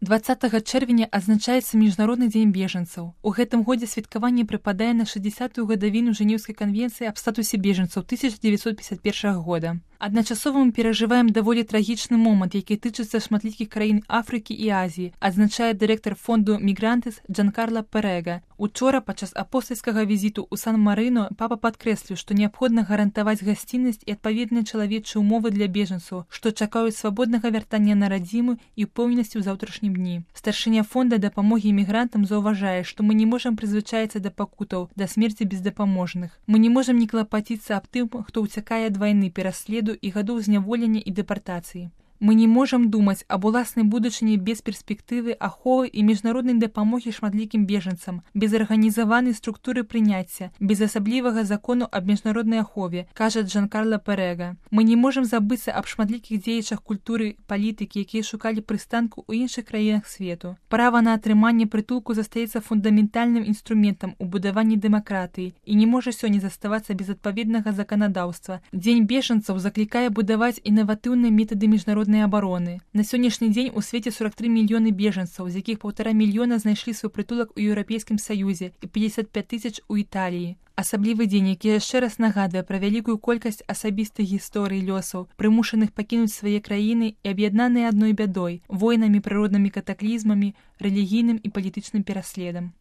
20 чэрвеня адзначаецца Міжнародны дзень бежанцаў. У гэтым годзе святкаванне прыпадае на 60-ю гадавіну Жэнеўскай канвенцыі аб статусе бежанцаў 1951 года. Адначасова мы перажываем даволі трагічны момант, які тычыцца шматлікіх краін Афрыкі і Азіі, адзначае дырэктар фонду «Мігрантес» Джанкарло Перега. Учора, падчас апостальскага візіту ў Сан-Марыно, папа падкрэсліў, што неабходна гарантаваць гасціннасць і адпаведныя чалавечыя ўмовы для бежанцаў, што чакаюць свабоднага вяртання на радзіму і ўпэўненасці ў заўтрашнім дні. Старшыня фонда дапамогі імігрантам заўважае, што мы не можам прызвычаіцца да пакутаў, да смерці бездапаможных. Мы не можам не клапаціцца аб тым, хто ўцякае ад вайны, пераследу і гадоў зняволення і дэпартацыі. Мы не можам думаць аб уласнай будучыні без перспектывы аховы і міжнароднай дапамогі шматлікім бежанцам, без арганізаванай структуры прыняцця, без асаблівага закону аб міжнароднай ахове, кажа Джанкарло Перега. Мы не можам забыцца аб шматлікіх дзеячах культуры, палітыкі, якія шукалі прыстанку ў іншых краінах свету. Права на атрыманне прытулку застаецца фундаментальным інструментам у будаванні дэмакратыі і не можа сёння заставацца без адпаведнага заканадаўства. Дзень бежанцаў заклікае будаваць інаватыўныя метады міжнароднай абароны. На сённяшні дзень у свеце 43 мільёны бежанцаў, з якіх 1,5 мільёна знайшлі свой прытулак у Еўрапейскім Саюзе і 55 тысяч у Італіі. Асаблівы дзень, які яшчэ раз нагадвае пра вялікую колькасць асабістых гісторый лёсаў, прымушаных пакінуць свае краіны і аб'яднаныя адной бядой, войнамі, прыроднымі катаклізмамі, рэлігійным і палітычным пераследам.